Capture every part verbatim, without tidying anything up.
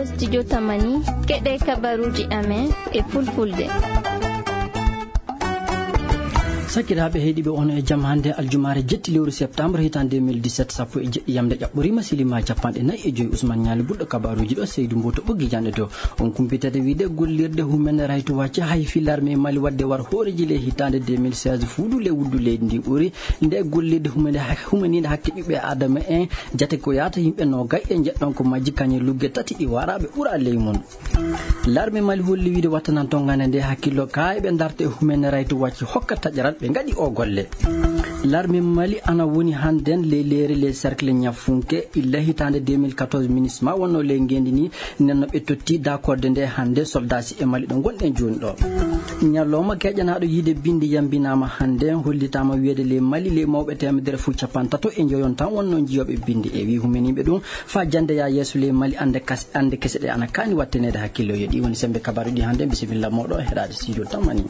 Studio Tamani, keɗe kabaruuji amen e fulfulde. Sakiraaɓe heɗiiɓe, on e jam hannde aljumaare jetti lewru septembre hitaande deux mille dix-sept, sappo e jeɗɗi yamde ƴaɓɓoriima, silima capanɗe nayi e joyi. Ousmane Ñaali ɓurɗo kabaruuji ɗo, Seydou Mboto ɓoggi janɗe to. On kumpitata wiide gollirde Human Rights Watch hay fi larme Mali wadde war hooreji le hitaande deux mille seize fuudu le wuddu leydi ndi ɓuri nde gollirde humaniinde hakke ɓiɓɓe Adama en. Jate ko yaata yimɓe noogay e njeɗɗon ko majji kañe lugge tati ɗi waraɓe ɓura ley mum. Larme Mali holli wiide wattanan tongande nde hakkillo ka eɓe darta e Human Rights Watch hokka taƴaral ɓe ngaɗi o golle. Larme Mali ana woni hannden ley leere le cercle ñafunke illa hitaande deux mille quatorze ministre ma wonno ley ngendi ni. Nenno ɓe totti dakorde nde hannde soldasi e Mali ɗo gonɗen jooni ɗo. Ñalawma keƴanaaɗo yiide bindi yambinaama hannde, hollitaama wiyeede ley Mali ley mawɓe teemedere fof capanɗe tato e njoyon tan wonno jiyooɓe bindi. E wii humeniiɓe ɗum faa jannde yaa yeeso ley Mali annde kas-, annde kese ɗe ana kaani watteneede hakkille. Yo ɗi woni semmbe kabaaruuji hannde. Bisimilla mooɗo heɗaade studio Tamani.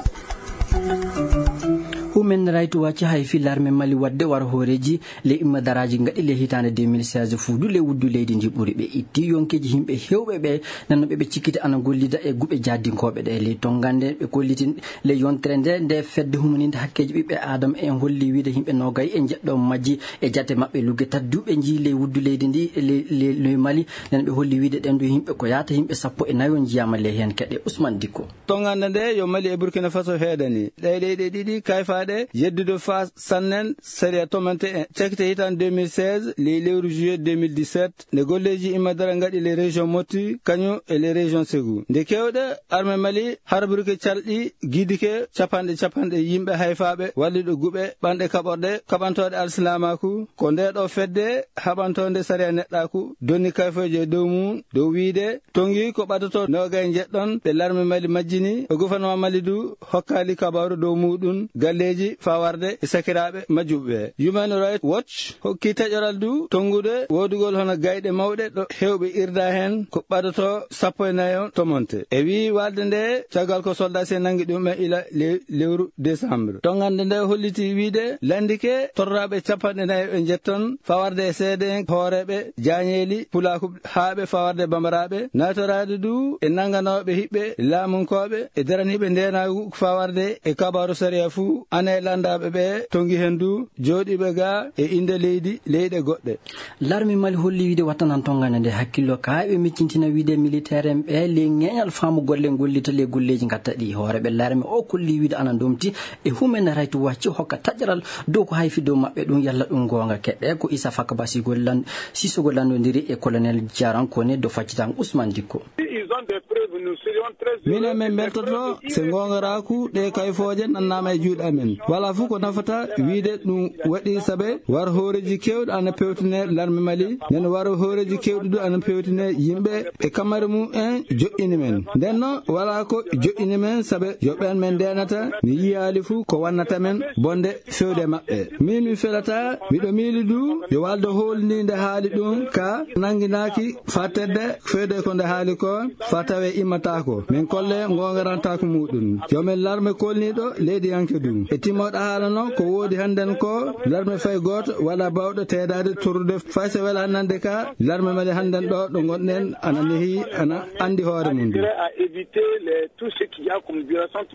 Human Rights Watch hay fi larme Mali wadde war hooreeji le imma daraaji ngaɗi le hitaande deux mille seize fuudu le wuddu leydi ndi ɓuri ɓe itti yonkeeji yimɓe heewɓe ɓe nanno ɓe ɓe cikkita ana gollida e guɓe jaddinkooɓe ɗe. Ley tonngande ɓe kollitin le yontere nde, nde fedde humaninde hakkeeji ɓiɓɓe Aadama en holli wiide yimɓe noogay e jeɗɗo majji e jate maɓɓe lugge tati duuɓe njii ley wuddu leydi ndi, ley, ley, ley Mali. Nden ɓe holli wiide ɗen du yimɓe ko yaata yimɓe sappo e nayo njiyaama ley heen keɗe. Ousmane Dikko. Tongande nde yo Mali e Burkina Faso heedani. Ɗee leyɗe ɗiɗi kayfaaɗe yeddude faa sannen sariya tomante en. Cakite hitan deux mille seize, ley lewru juillet deux mille dix-sept, nde golleeji imma dara ngaɗi les régions Moti, kañum e les régions Ségou. Nde kewɗe armée Mali harburke calɗi gidike capanɗe capanɗe yimɓe hayfaaɓe walliɗo guɓe ɓanɗe kaɓorɗe kaɓantooɗe alsilaamaaku. Ko nde ɗo fedde haɓantoonde sariya neɗɗaaku donni kayfooje e dow mum dow wiide Tongi ko ɓadotoo noogay njeɗɗon ɓe larme Mali majjini, e gouvernement Mali du hokkaali kabaaru dow muuɗum galleeji faa warde e sakiraaɓe majjuɓe ɓe. Human Rights Watch hokki taƴoral du tonngude woodugol hono gayɗe mawɗe ɗo heewɓe irda heen ko ɓadotoo sappo e nayo tomonte. E wii waalde nde caggal ko soldaasi en nanngi ɗum e ila le-, lewru décembre. Tongande nde holliti wiide lanndike torraaɓe capanɗe nayo e njetton faa warde e seede en hooreeɓe jaañeeli pulaaku haaɓe fawarde bambaraaɓe, naatoraade du e nannganooɓe hiɓɓe laamunkooɓe e daraniiɓe ndeenaagu fawarde e kabaaru sariya fuu, ana e lanndaaɓe ɓe tongi heen du jooɗiiɓe ga e innde leydi, leyɗe goɗɗe. Larme Mali holli wiide wattanan tongande nde hakkillo ka eɓe miccintina wiide militaire en ɓe ley ŋeeñal faamu golle gollita ley golleeji ngatta ɗi. Hooreeɓe larme o kolli wiide ana ndomti e Human Rights Watch hokka taƴaral dow ko hayfi dow maɓɓe ɗum yalla ɗum goonga keɗɗe ko Issa Fakaba Sisogo lan-, Sisogo lanndondiri e colonel Jaran Kone do faccitan Ousmane Dikko. Ils ont des preuves, nous serions très heureux. Minen min mbeltoto se ngoongaraaku ɗe kayfooje nannaama e juuɗe amen. Walaa fof ko nafata wiide ɗum waɗi sabe war hooreeji keewɗi ana pewtine larme Mali, nden war hooreeji keewɗi du ana pewtine yimɓe e kamare mum en joƴƴini men. Nden noon walaa ko joƴƴini men sabe yo ɓeen men ndeenata mi yiyaali fof ko wannata men bonde fewde maɓɓe. Min mi felataa, miɗo miili du yo waalde hoolniinde haali ɗum ka nannginaaki faa tedde fewde ko nde haali ko faa tawee immataako. Min kolle ngoongarantaako muuɗum. Yo min larme kolniiɗo leydiyanke du. E timmooɗo haala noon ko woodi hannden ko larme fay gooto wala baawɗo teedaade torrude fay so wela nande ka larme Mali hannden ɗo, ɗo ngonɗen ana nehi, ana anndi hoore mum du. Intérêt à éviter les, tout ce qu'il y a comme violation.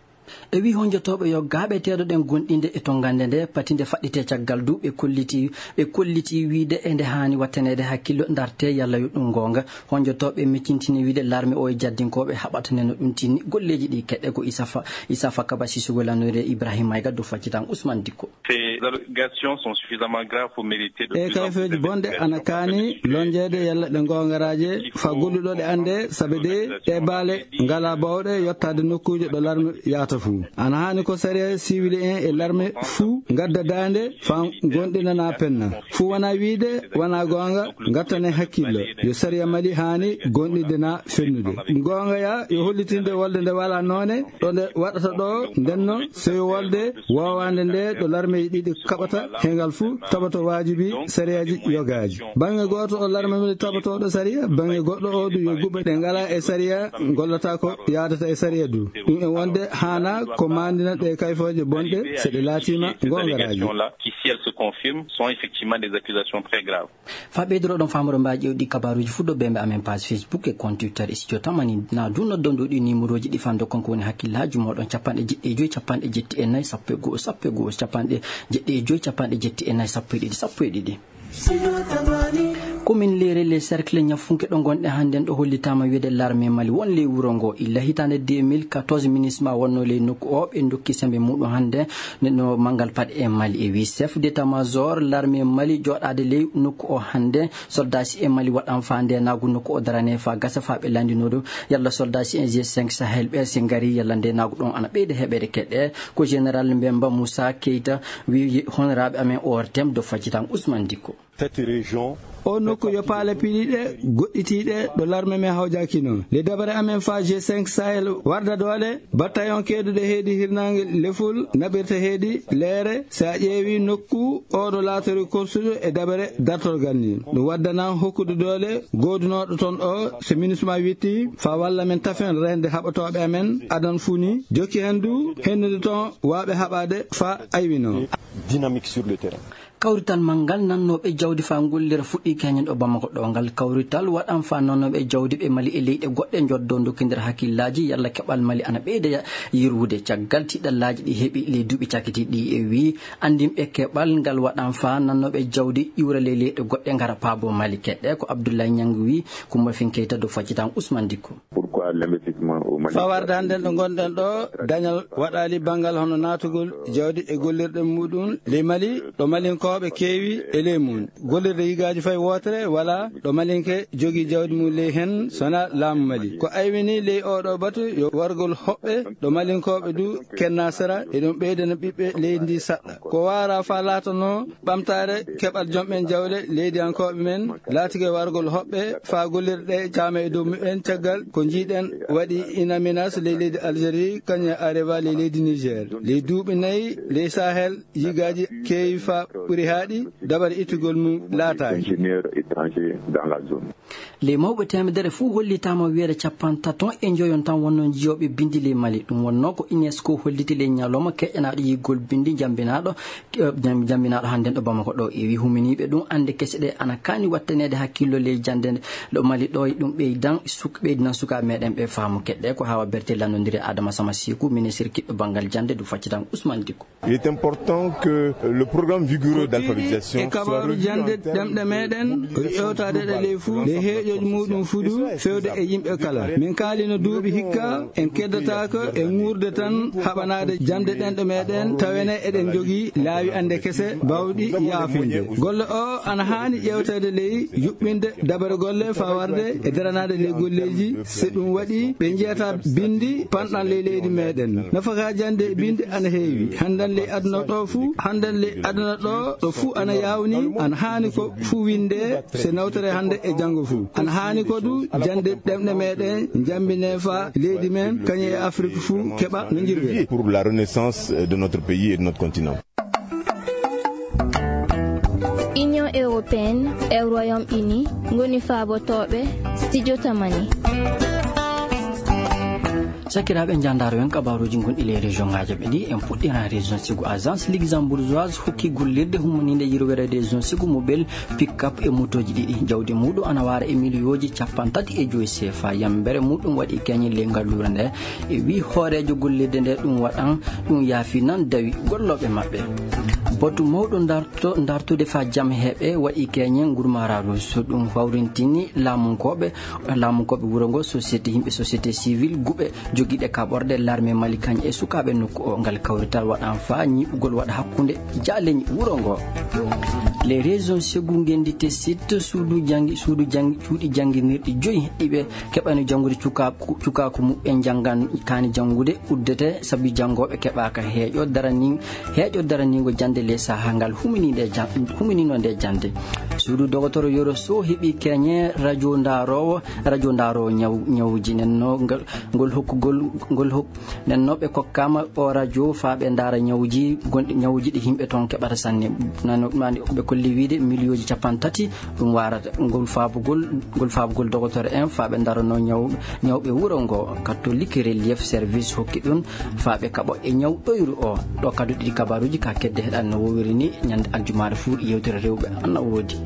E wii honjotooɓe yo gaaɓe teedoɗen gonɗinde e tongande nde, pati nde faɗɗitee caggal du, ɓe kolliti, ɓe kolliti wiide e nde haani wattaneede hakkillo ndarte yalla yo ɗum goonga. Honjotooɓe miccintini wiide larme o e jaddinkooɓe haɓatane no ɗum tinni golleeji ɗi keɗɗe ko Issa Fa-, Issa Fakaba Sisogo lannoyde Ibrahima Maïga do faccitan Ousmane Dikko. Ces allégations sont suffisamment graves pour mériter de... E plus en plus kayfeeji bonɗe ana kaani lonjeede yalla ɗe ngoongaraaje faa golluɗo ɗe annde, sabe de ɗe baale ngalaa baawɗe yottaade nokkuuje ɗo larme yahata fuu. Ana haani ko sariya siwili en e larme fuu ngadda daande faa gonɗinana penna. Fuu wonaa wiide wonaa goonga, ngattane hakkillo. Yo sariya Mali haani gonɗinde na fennude. Goonga ya yo hollitinde wolde nde walaa noone, ɗo nde waɗata ɗo, ndenno sewi wolde woowaande nde ɗo larmeeji ɗiɗi kaɓata, he ngal fuu tabato waajibi sariyaaji yogaaji. Baŋŋe gooto o larme Mali tabatooɗo sariya, baŋŋe goɗɗo o du yo guɓe ɗe ngalaa e sariya, ngollata ko yaadata e sariya du. Ɗum e wonde haana Ko maandina ɗe kayfooje bonɗe, so ɗe laatiima goongaraaji. Qui, si elles se confirment, sont effectivement des accusations très graves. Fa ɓeydoro ɗon faamoro mbaa ƴeewɗi kabaruuji fuu dow bembe amen page Facebook e compte Twitter e studio tamani. Na du noddon ɗo ɗi numéroji ɗi fando kon ko woni hakkillaaji mooɗon: capanɗe jeɗɗi e joy, capanɗe jetti e nayi, sappo e go'o, sappo e go'o, capanɗe jeɗɗi e joy, capanɗe jetti e nayi, sappo e ɗiɗi, sappo e ɗiɗi. Komin leere les cercles ñafunke ɗo ngonɗe hannden ɗo hollitaama wi'ede larme Mali won ley wuro ngo. Illa hitaande deux mille quatorze, minisma wonno ley nokku o, ɓe ndokki sembe muɗum hannde no manngal paɗe e Mali. E wi chef d'état-major larme Mali jooɗaade ley nokku o hannde, soldasi e Mali waɗan faa ndenaagu nokku o darane faa gasa faa ɓe lanndinoo ɗum yalla soldasi e G cinq Sahel ɓe si ngari yalla ndenaagu ɗon ana ɓeyda heɓere keɗe. Ko général Mbemba Moussa Keita wi honoraaɓe amen O R T M do faccitan Ousmane Dikko. Cette région. O nokku yo paale piɗiiɗe goɗɗitiiɗe ɗo larme men hawjaakino. Le dabare amen fa G cinq Sahel warda doole, battayon keeduɗe heedi hirnaange leful naɓirta heedi leere. So a ƴeewi nokku o ɗo laatori korsuɗo e dabare dartorgal ni, ɗum waddana hokkude doole goodunooɗo toon o, so minisma witti fa walla men tafen rende haɓatooɓe amen adan fuu ni, jokki hen du hennude toon waawɓe haɓaade fa aywino. Dynamique sur le terrain. Kawrital manngal nannooɓe jawdi faa ngollira fuɗɗii keñen ɗo Bamako ɗo. Ngal kawrital waɗan faa nannooɓe jawdi ɓe Mali e leyɗe goɗɗe njoddo ndokkindira hakkillaaji yalla keɓal Mali ana ɓeyda ya-, yirwude caggal tiɗallaaji ɗi heɓi ley duuɓi cakitiiɗi ɗi. E wii anndinɓe keɓal ngal waɗan faa nannooɓe jawdi iwra ley leyɗe goɗɗe ngara paabo Mali. Keɗɗe ko Abdoulaye Niang wii, Kumba Fin Keita do faccitan Ousmane Dikko. Pourquoi l'investissement au Mali? Fa warde hannden ɗo ngonɗen ɗo, dañal waɗaali banngal hono naatugol jawdi e gollirɗe muɗum ley Mali, ɗo Malinkooɓe keewi e ley mum. Gollirde yigaaji fay wootere wala ɗo Malinke jogii jawdi mum ley hen, sona laamu Mali. Ko aywini ley oo ɗo batu yo wargol hoɓɓe ɗo Malinkooɓe du kenna sera, e ɗum ɓeydana ɓiɓɓe leydi ndi saɗɗa. Ko waara fa laatanoo ɓamtaare keɓal jom ɓen jawle leydiyankooɓe men, laatike wargol hoɓɓe faa gollirɗe caama e dow mumen caggal ko njiiɗen waɗi Inaminas ley leydi Algérie, kañum e Areva ley leydi Niger. Ley duuɓi nayi ley Sahel, yigaaji keewi faa ɓuri haaɗi, dabare ittugol mum laataaki. Ingénieur étranger dans la zone. Ley mawɓe teemedere fuu hollitaama wiyeede capantato e njoyon tan wonnoo njiyooɓe binndi ley Mali. Ɗum wonnoo ko UNESCO holliti ley ñalawma keƴanaaɗo yiggol binndi njambinaaɗo, eh, njam-, njambinaaɗo hannden ɗo Bamako ɗo. E wi huminiiɓe ɗum annde kese ɗe ana kaani wattaneede hakkillo ley jannde ɗo Mali ɗo, e ɗum ɓeydan suk-, ɓeydinan sukaaɓe meɗen ɓe faamu. Keɗɗe ko Hawa Berté lanndondiri Adama Sama Siku, ministre kiɗɗo banngal jannde, du faccitan Ousmane Dikko. Il est important que le programme vigoureux d'alphabétisation e soit kabaru revu jannde en termes ɗemɗe meɗen, o ƴewtaade ɗe ley fuu, ley heeƴooji muɗum fuu du, fewde e yimɓe kala. Min kaalino duuɓi hikka, en keddataako e nguurde tan haɓanaade jannde ɗemɗe meɗen, tawene eɗen njogii laawi annde kese, bawɗi yaafinde. Golle o ana haani ƴewteede ley yuɓɓinde dabare golle faa warde e daranaade ley golleeji. So ɗum waɗi, ɓe njiyata binndi panɗan ley leydi meɗen. Nafaka jannde e binndi ana heewi. Hannden ley aduna ɗo fuu, hannden ley aduna ɗo, ɗo fuu ana yaawni, ana haani ko fuu winde, so nawtere hannde e janngo fuu. Ana haani ko du jannde ɗemɗe meɗen njambine faa leydi men, kañum e Afrik fuu keɓa no njirwiri. Pour la renaissance de notre pays et de notre continent. Union européenne e Royaume-Uni ngoni faabotooɓe studio Tamani. Sakiraaɓe, njandaaro en kabaaruuji gonɗi ley région ŋaaji ɓe ɗi, en puɗɗiran région Ségou. Agence luxembourgeoise hokki gollirde hummaniinde yirwere région Ségou mobile pick-up e motooji ɗiɗi. Jawdi muɗum ana waara e miliyooji capanɗe tati e joy sefa. Yambere muɗum waɗi keñe ley ngalluure nde. E wi hooreejo gollirde nde ɗum waɗan, ɗum yaafi nan dawi gollooɓe maɓɓe. Batu mawɗo darto-, dartude faa jam heɓe waɗi keñe ngurmaaraaru. So ɗum hawrintini laamunkooɓe, laamunkooɓe wuro ngo, société, yimɓe société civile, guɓe jogiiɗe kaɓorɗe, l'armée Mali kañ e sukaaɓe nokku o. Ngal kawrital waɗan faa ñiiɓugol waɗa hakkunde jaaleñi wuro ngo. Les régions Ségou ngenndi te site suudu janngi, suudu janngi, cuuɗi jannginirɗi joyi ɗi ɓe keɓani janngude cukaaku, cukaaku muɓɓen njanngan kaani janngude uddete sabi janngooɓe keɓaaka heeƴo darani, heeƴo daraniingo jannde ley sahaa ngal huminiinde jan-, huminiino nde jannde. Suudu dogotoro Yoro Sow heɓi keñe radio ndaaroowo, radio ndaaroowo ñaw-, ñawuji. Nenno ngal, ngol hokkugol, ngol hok-, nenno ɓe kokkaama o radio faa ɓe ndaara ñawuji gonɗi, ñawuji ɗi yimɓe toon keɓata sanne. Nano, mani ɓe kolli wiide miliyooji capanɗe tati ɗum waarata. Ngol faabugol, ngol faabugol dogotoro en faa ɓe ndaarano ñaw-, ñawɓe wuro ngo. Katolik Relief Service hokki ɗum faa ɓe kaɓo e ñaw ɗoyru o. Ɗo kadu ɗiɗi kabaruji ka kedde heɗan no wowiri ni ñande aljumaare fuu yewtere rewɓe ana woodi.